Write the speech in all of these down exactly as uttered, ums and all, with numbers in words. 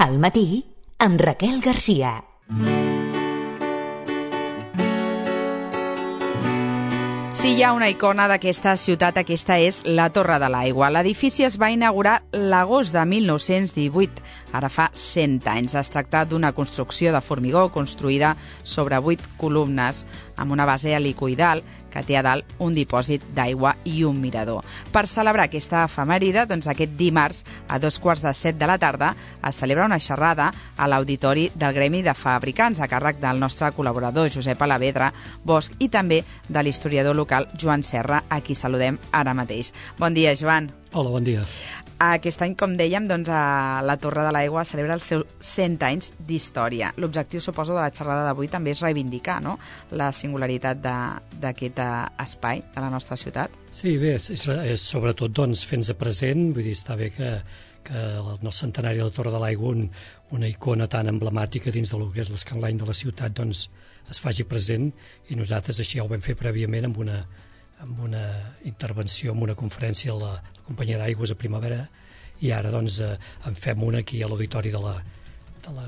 Al matí, amb Raquel Garcia. Si hi ha una icona d'aquesta ciutat, aquesta és la Torre de l'Aigua. L'edifici es va inaugurar l'agost de mil nou-cents divuit, ara fa cent anys. Es tracta d'una construcció de formigó construïda sobre vuit columnes amb una base helicoidal que té a dalt un dipòsit d'aigua i un mirador. Per celebrar aquesta efemèride, doncs aquest dimarts, a dos quarts de set de la tarda, es celebra una xerrada a l'Auditori del Gremi de Fabricants, a càrrec del nostre col·laborador Josep Alavedra Bosch i també de l'historiador local Joan Serra, a qui saludem ara mateix. Bon dia, Joan. Hola, bon dia. Aquest any, com dèiem, doncs, a la Torre de l'Aigua celebra els seus cent anys d'història. L'objectiu, suposo, de la xerrada d'avui també és reivindicar, no?, la singularitat d'aquest espai de la nostra ciutat. Sí, bé, és, és sobretot doncs, fent-se present, vull dir, està bé que, que en el centenari de la Torre de l'Aigua un, una icona tan emblemàtica dins del que és l'escanlany de la ciutat doncs, es faci present, i nosaltres així ja ho vam fer prèviament amb una amb una intervenció, amb una conferència a la, la companyia d'aigües a Primavera, i ara doncs eh, en fem una aquí a l'auditori de la, de la,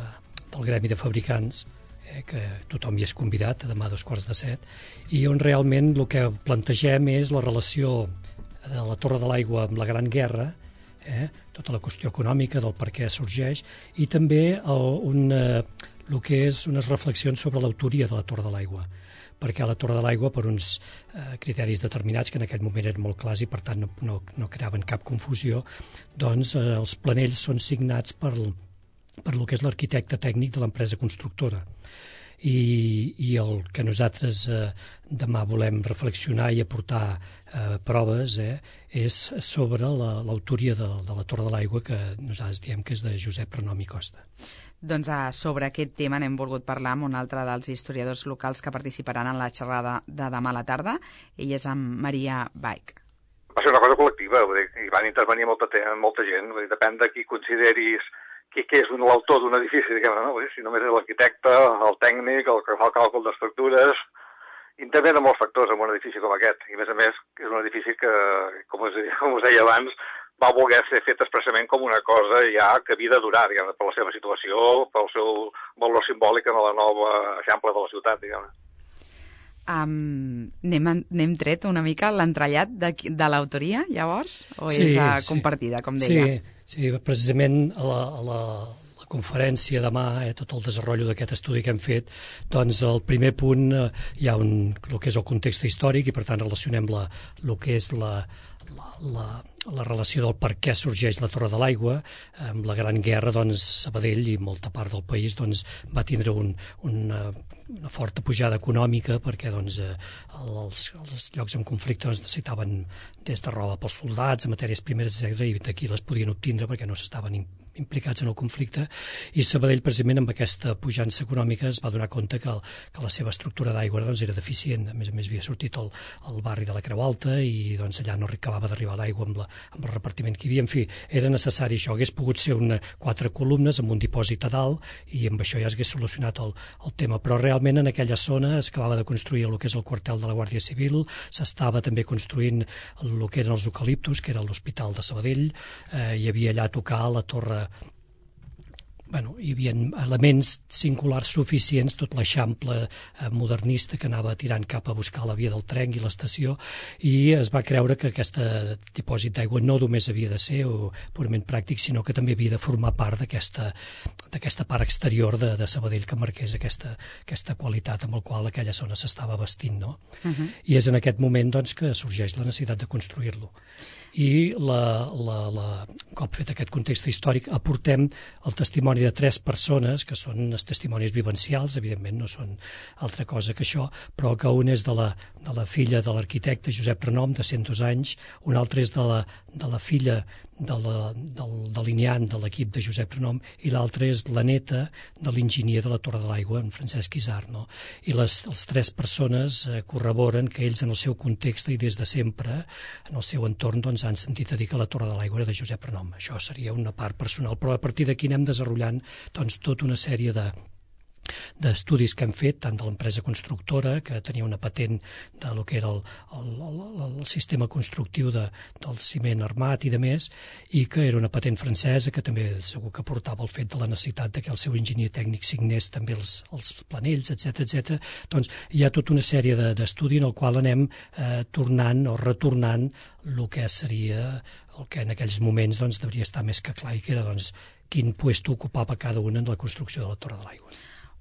del Gremi de Fabricants, eh, que tothom hi és convidat, demà a dos quarts de set, i on realment el que plantegem és la relació de la Torre de l'Aigua amb la Gran Guerra, eh, tota la qüestió econòmica del per què sorgeix, i també el, un, eh, el que és unes reflexions sobre l'autoria de la Torre de l'Aigua, perquè a la Torre de l'Aigua, per uns eh, criteris determinats, que en aquell moment eren molt clars i per tant no, no, no creaven cap confusió, doncs eh, els planells són signats per, per el que és l'arquitecte tècnic de l'empresa constructora. I, i el que nosaltres eh, demà volem reflexionar i aportar eh, proves eh, és sobre l'autoria la, de, de la Torre de l'Aigua, que nosaltres diem que és de Josep Renom i Costa. Doncs uh, sobre aquest tema n'hem volgut parlar amb un altre dels historiadors locals que participaran en la xerrada de demà a la tarda. Ell és amb Maria Baich. Va ser una cosa col·lectiva, vull dir, hi van intervenir molta, molta gent, vull dir, depèn de qui consideris qui, qui és l'autor d'un edifici, diguem-ne, no? Vull dir, si només és l'arquitecte, el tècnic, el que fa el càlcul d'estructures, intervenen molts factors en un edifici com aquest, i a més a més és un edifici que, com us, com us deia abans, va voler ser fet expressament com una cosa ja que havia de durar, diguem-ne, per la seva situació, pel seu valor simbòlic en la nova eixample de la ciutat, diguem-ne. Um, n'hem tret una mica l'entrellat de, de l'autoria, llavors? O sí, és uh, sí. compartida, com deia? Sí, sí, precisament a la, a la, la conferència demà, eh, tot el desenvolupament d'aquest estudi que hem fet, doncs el primer punt eh, hi ha un, el que és el context històric, i per tant relacionem la, el que és la, la, la, la relació del per què sorgeix la Torre de l'Aigua. Amb la Gran Guerra, doncs, Sabadell i molta part del país doncs, va tindre un, una, una forta pujada econòmica, perquè doncs, els, els llocs en conflicte doncs, necessitaven des de roba pels soldats, matèries primeres, etcètera, i d'aquí les podien obtindre perquè no s'estaven implicats en el conflicte, i Sabadell, precisament amb aquesta pujança econòmica, es va donar compte que, el, que la seva estructura d'aigua doncs, era deficient. A més a més havia sortit el, el barri de la Creu Alta i doncs, allà no acabava d'arribar l'aigua amb, la, amb el repartiment que hi havia. En fi, era necessari això. Hagués pogut ser una, quatre columnes amb un dipòsit a dalt, i amb això ja s'hagués solucionat el, el tema, però realment en aquella zona es acabava de construir el que és el quartel de la Guàrdia Civil, s'estava també construint el que eren els eucaliptus, que era l'Hospital de Sabadell, eh, hi havia allà a tocar la torre. Bueno, hi havia elements singulars suficients, tot l'eixample eh, modernista que anava tirant cap a buscar la via del tren i l'estació, i es va creure que aquest dipòsit d'aigua no només havia de ser o purament pràctic, sinó que també havia de formar part d'aquesta d'aquesta part exterior de, de Sabadell, que marqués aquesta, aquesta qualitat amb la qual aquella zona s'estava vestint, no? Uh-huh. I és en aquest moment doncs, que sorgeix la necessitat de construir-lo. I la, la, la, un cop fet aquest context històric, aportem el testimoni de tres persones, que són els testimonis vivencials, evidentment no són altra cosa que això, però que un és de la, de la filla de l'arquitecte Josep Renom, de cent dos anys, un altre és de la, de la filla de la, del delineant de l'equip de Josep Renom, i l'altre és la neta de l'enginyer de la Torre de l'Aigua, en Francesc Isart, no? I les, les tres persones eh, corroboren que ells en el seu context i des de sempre, en el seu entorn, doncs, han sentit a dir que la Torre de l'Aigua era de Josep Renom. Això seria una part personal, però a partir d'aquí anem desenvolupant doncs, tota una sèrie de d'estudis que hem fet, tant de l'empresa constructora, que tenia una patent de lo que era el, el, el, el sistema constructiu de, del ciment armat i de més, i que era una patent francesa que també segur que portava el fet de la necessitat de que el seu enginyer tècnic signés també els, els planells, etcètera, etcètera. Doncs hi ha tota una sèrie de, d'estudi en el qual anem eh, tornant o retornant el que seria el que en aquells moments doncs, devia estar més que clar, i que era doncs, quin puesto ocupava cada una en la construcció de la Torre de l'Aigua.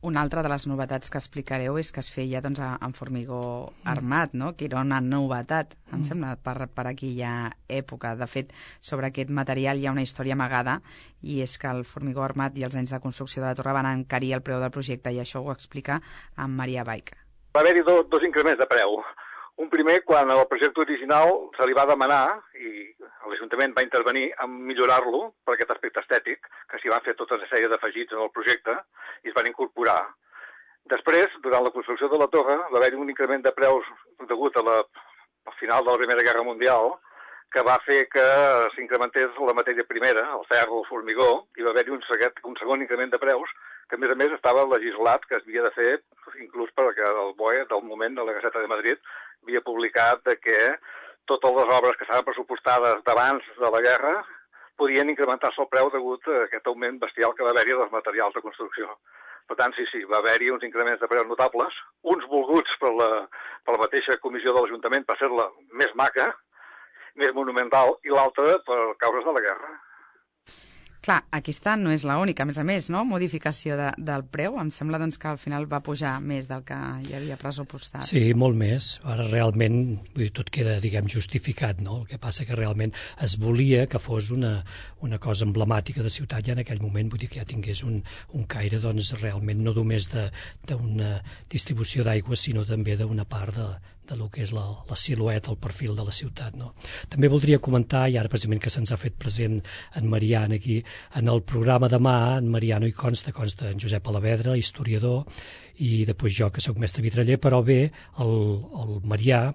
Una altra de les novetats que explicareu és que es feia doncs, en formigó armat, no? Que era una novetat, em sembla, per, per aquella època. De fet, sobre aquest material hi ha una història amagada, i és que el formigó armat i els anys de construcció de la torre van encarir el preu del projecte, i això ho explica en Maria Baich. Va haver-hi do, dos increments de preu. Un primer, quan el projecte original se li va demanar, i l'Ajuntament va intervenir en millorar-lo per aquest aspecte estètic, que s'hi van fer tota una sèrie d'afegits en el projecte i es van incorporar. Després, durant la construcció de la torre, va haver-hi un increment de preus degut a la, al final de la Primera Guerra Mundial, que va fer que s'incrementés la matèria primera, el ferro, el formigó, i va haver-hi un, un segon increment de preus, que a més a més estava legislat, que es havia de fer, inclús perquè el B O E, del moment de la Gaceta de Madrid, havia publicat que totes les obres que estaven pressupostades d'abans de la guerra podien incrementar-se el preu degut a aquest augment bestial que va haver-hi dels materials de construcció. Per tant, sí, sí, va haver-hi uns increments de preus notables, uns volguts per la, per la mateixa comissió de l'Ajuntament per fer-la més maca, més monumental, i l'altra per causes de la guerra. Clar, aquesta no és l'única, a més a més, no? Modificació de, del preu. Em sembla doncs, que al final va pujar més del que hi havia pressupostat. Sí, molt més. Ara realment vull dir, tot queda, diguem, justificat, no? El que passa que realment es volia que fos una, una cosa emblemàtica de ciutat ja en aquell moment, vull dir que ja tingués un, un caire doncs, realment no només d'una distribució d'aigua, sinó també d'una part de, de lo que és la, la silueta, el perfil de la ciutat. No? També voldria comentar, i ara precisament que se'ns ha fet present en Marian aquí, en el programa demà, en Marian no hi consta, consta en Josep Alavedra, historiador, i després jo, que sóc mestre vitraller, però bé, el, el Marià,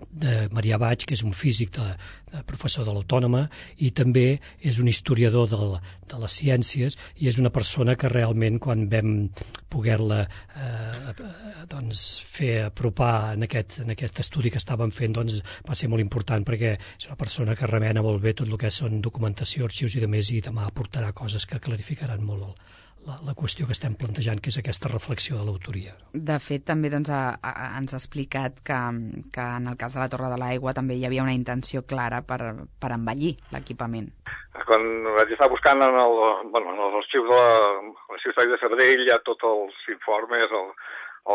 de Maria Baich, que és un físic de, de professor de l'Autònoma, i també és un historiador de, de les ciències, i és una persona que realment quan vam poder-la eh, doncs, fer apropar en aquest, en aquest estudi que estàvem fent, doncs, va ser molt important perquè és una persona que remena molt bé tot el que són documentació, arxius i de més, i demà aportarà coses que clarificaran molt el La, la qüestió que estem plantejant, que és aquesta reflexió de l'autoria. De fet, també doncs, a, a, ens ha explicat que, que en el cas de la Torre de l'Aigua també hi havia una intenció clara per, per embellir l'equipament. Quan vaig estar buscant en, el, bueno, en els arxius de l'Arxiu Històric de Sabadell, hi ha tots els informes, el,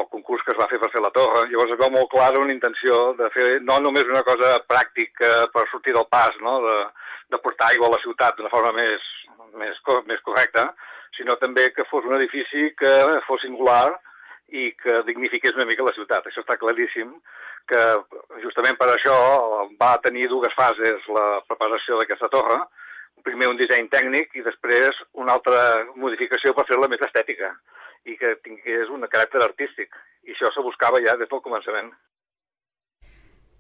el concurs que es va fer per fer la torre, llavors es veu molt clara una intenció de fer no només una cosa pràctica per sortir del pas, no? de, de portar aigua a la ciutat d'una forma més, més, més correcta, sinó també que fos un edifici que fos singular i que dignifiqués una mica la ciutat. Això està claríssim, que justament per això va tenir dues fases la preparació d'aquesta torre, primer un disseny tècnic i després una altra modificació per fer-la més estètica i que tingués un caràcter artístic. I això se buscava ja des del començament.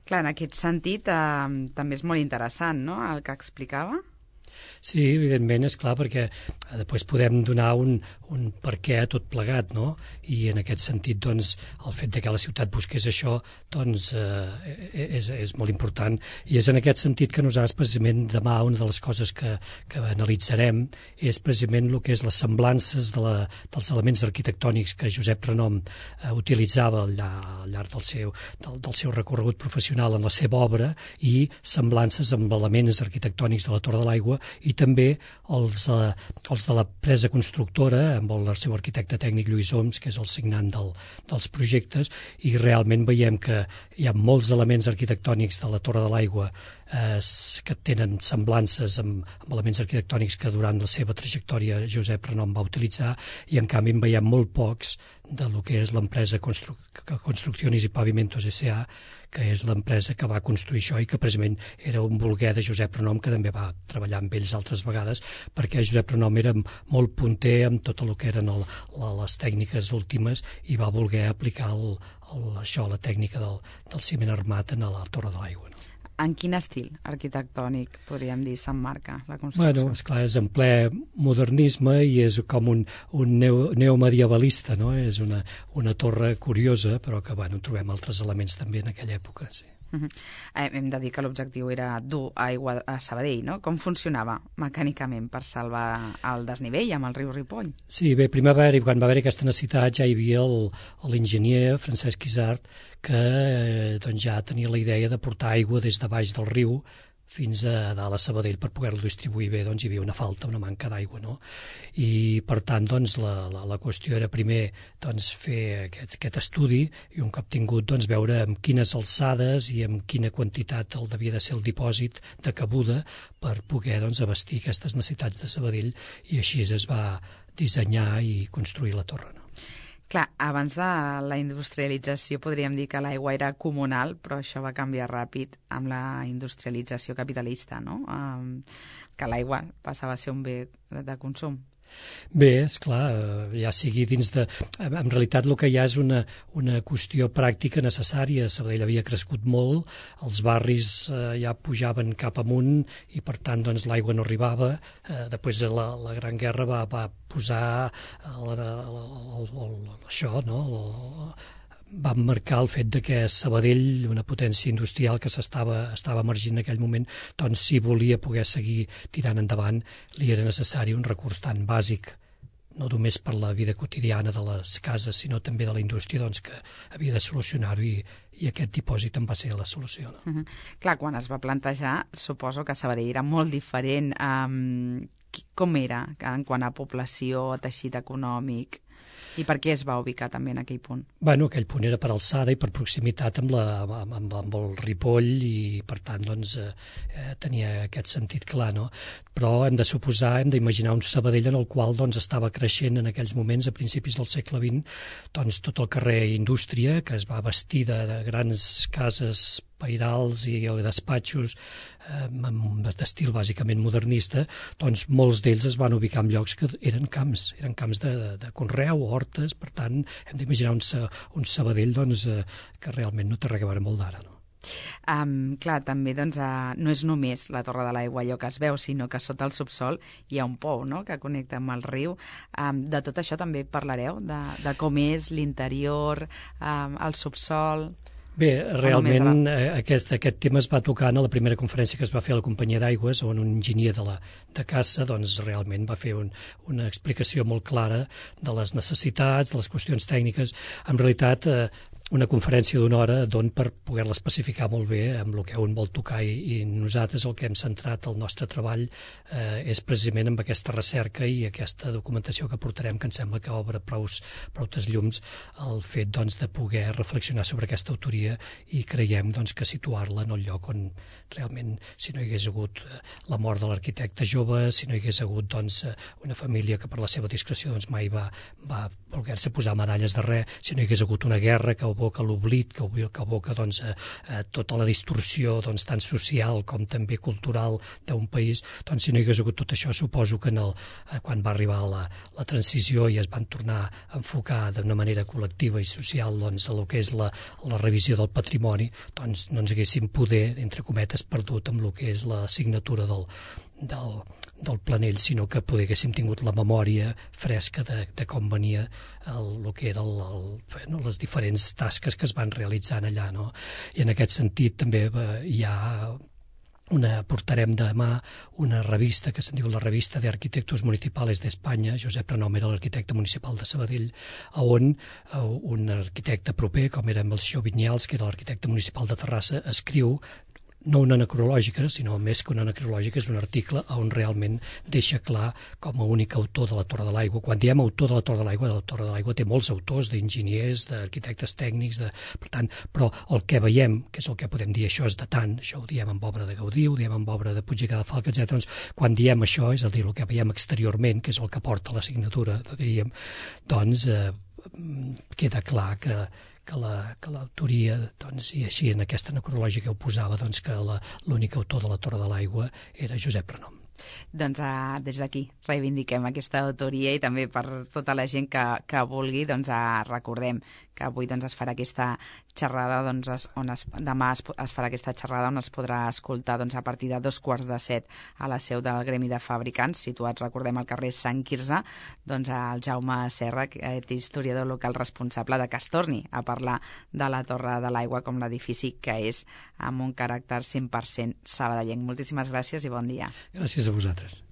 Clar, en aquest sentit eh, també és molt interessant, no?, el que explicava. Sí, evidentment, és clar, perquè després podem donar un, un per què a tot plegat, no? I en aquest sentit, doncs, el fet de que la ciutat busqués això, doncs, eh, és, és molt important. I és en aquest sentit que nosaltres, precisament, demà una de les coses que, que analitzarem és precisament el que és les semblances de la, dels elements arquitectònics que Josep Renom eh, utilitzava al llarg del seu, del, del seu recorregut professional en la seva obra, i semblances amb elements arquitectònics de la Torre de l'Aigua, i també els, eh, els de la presa constructora, amb el seu arquitecte tècnic Lluís Oms, que és el signant del, dels projectes, i realment veiem que hi ha molts elements arquitectònics de la Torre de l'Aigua eh, que tenen semblances amb, amb elements arquitectònics que durant la seva trajectòria Josep Renom va utilitzar, i en canvi en veiem molt pocs de lo que és l'empresa Constru Construcciones i Pavimentos S A, que és l'empresa que va construir això i que precisament era un volguer de Josep Renom, que també va treballar amb ells altres vegades, perquè Josep Renom era molt punter amb tot el que eren el, les tècniques últimes i va voler aplicar el, el, això, la tècnica del, del ciment armat en la Torre de l'Aigua. No? En quin estil arquitectònic, podríem dir, s'emmarca la construcció? Bueno, esclar, és en ple modernisme i és com un, un neo, neomedievalista, no? És una, una torre curiosa, però que, bueno, trobem altres elements també en aquella època, sí. Uh -huh. eh, hem de dir que l'objectiu era dur aigua a Sabadell, no? Com funcionava mecànicament per salvar el desnivell amb el riu Ripoll? Sí, bé, primer va haver, quan va haver aquesta necessitat ja hi havia l'enginyer Francesc Isart que eh, doncs ja tenia la idea de portar aigua des de baix del riu fins a dalt a Sabadell per poder-lo distribuir bé, doncs hi havia una falta, una manca d'aigua, no? I per tant, doncs, la, la, la qüestió era primer doncs, fer aquest, aquest estudi i un cop tingut, doncs, veure amb quines alçades i amb quina quantitat el devia de ser el dipòsit de cabuda per poder, doncs, abastir aquestes necessitats de Sabadell i així es va dissenyar i construir la torre, no? Clar, abans de la industrialització podríem dir que l'aigua era comunal, però això va canviar ràpid amb la industrialització capitalista, no? Um, que l'aigua passava a ser un bé de consum. Bé, esclar, ja sigui dins de... En realitat el que hi ha és una, una qüestió pràctica necessària. Sabadell havia crescut molt, els barris eh, ja pujaven cap amunt i per tant doncs, l'aigua no arribava. Eh, després de la, la Gran Guerra va, va posar el, el, el, el, això, no? El, va marcar el fet de que Sabadell, una potència industrial que s'estava estava emergint en aquell moment, doncs si volia poder seguir tirant endavant li era necessari un recurs tan bàsic, no només per la vida quotidiana de les cases, sinó també de la indústria, doncs que havia de solucionar-ho i, i aquest dipòsit en va ser la solució. No? Uh -huh. Clar, quan es va plantejar, suposo que Sabadell era molt diferent. Um, com era en quant a població, a teixit econòmic? I per què es va ubicar també en aquell punt? Bueno, aquell punt era per alçada i per proximitat amb, la, amb, amb, amb el Ripoll i, per tant, doncs, eh, tenia aquest sentit clar, no? Però hem de suposar, hem d'imaginar un Sabadell en el qual doncs, estava creixent en aquells moments, a principis del segle vint, doncs, tot el carrer Indústria, que es va vestir de, de grans cases pairals i despatxos eh, d'estil bàsicament modernista, doncs molts d'ells es van ubicar en llocs que eren camps, eren camps de, de, de conreu, hortes, per tant hem d'imaginar un, un Sabadell doncs, eh, que realment no té res a veure molt d'ara, no? Um, clar, també doncs, uh, no és només la Torre de l'Aigua allò que es veu, sinó que sota el subsol hi ha un pou, no?, que connecta amb el riu. Um, de tot això també parlareu, de, de com és l'interior, um, el subsol... Bé, realment aquest, aquest tema es va tocar en la primera conferència que es va fer a la companyia d'aigües, on un enginyer de, la, de Cassa doncs, realment va fer un, una explicació molt clara de les necessitats, de les qüestions tècniques. En realitat, eh, una conferència d'una hora don per poder-la especificar molt bé amb el que un vol tocar i, i nosaltres el que hem centrat el nostre treball eh, és precisament amb aquesta recerca i aquesta documentació que portarem, que em sembla que obre prous, proutes llums el fet doncs, de poder reflexionar sobre aquesta autoria i creiem doncs, que situar-la en el lloc on realment, si no hi hagués hagut la mort de l'arquitecte jove, si no hi hagués hagut doncs, una família que per la seva discreció doncs, mai va, va voler-se posar medalles de res, si no hi hagués hagut una guerra que aboca l'oblit, que aboca doncs, a, a tota la distorsió doncs, tant social com també cultural d'un país, doncs si no hi hagués hagut tot això, suposo que en el, quan va arribar la, la transició i es van tornar a enfocar d'una manera col·lectiva i social doncs, a el que és la, la revisió del patrimoni, doncs no ens haguéssim poder, entre cometes, perdut amb el que és la signatura del, del, del Planell, sinó que poder haguéssim tingut la memòria fresca de, de com venia el, el que eren no, les diferents tasques que es van realitzant allà. No? I en aquest sentit també eh, hi ha una, portarem demà una revista que se'n diu la Revista de Arquitectos Municipales d'Espanya. Josep Renom era l'arquitecte municipal de Sabadell, on eh, un arquitecte proper, com era Melcior Vinyals, que era l'arquitecte municipal de Terrassa, escriu no una necrològica, sinó més que una necrològica, és un article on realment deixa clar com a únic autor de la Torre de l'Aigua. Quan diem autor de la Torre de l'Aigua, la Torre de l'Aigua té molts autors, d'enginyers, d'arquitectes tècnics, de, per tant, però el que veiem, que és el que podem dir, això és datant, això ho diem amb obra de Gaudí, ho diem amb obra de Puig i Cadafalch, etcètera. Doncs, quan diem això, és a dir, el que veiem exteriorment, que és el que porta la signatura, diríem, doncs eh, queda clar que que l'autoria, doncs, i així en aquesta necrològica ho posava, doncs, que l'únic autor de la Torre de l'Aigua era Josep Renom. Doncs uh, des d'aquí reivindiquem aquesta autoria i també per tota la gent que, que vulgui, doncs uh, recordem que avui doncs, es farà aquesta xerrada, doncs, es, on es, demà es, es farà aquesta xerrada on es podrà escoltar doncs, a partir de dos quarts de set a la seu del Gremi de Fabricants, situat, recordem, al carrer Sant Quirze, doncs el Jaume Serra, historiador local responsable, de que es torni a parlar de la Torre de l'Aigua com l'edifici que és, amb un caràcter cent per cent sabadellenc. Moltíssimes gràcies i bon dia. Gràcies a vosaltres.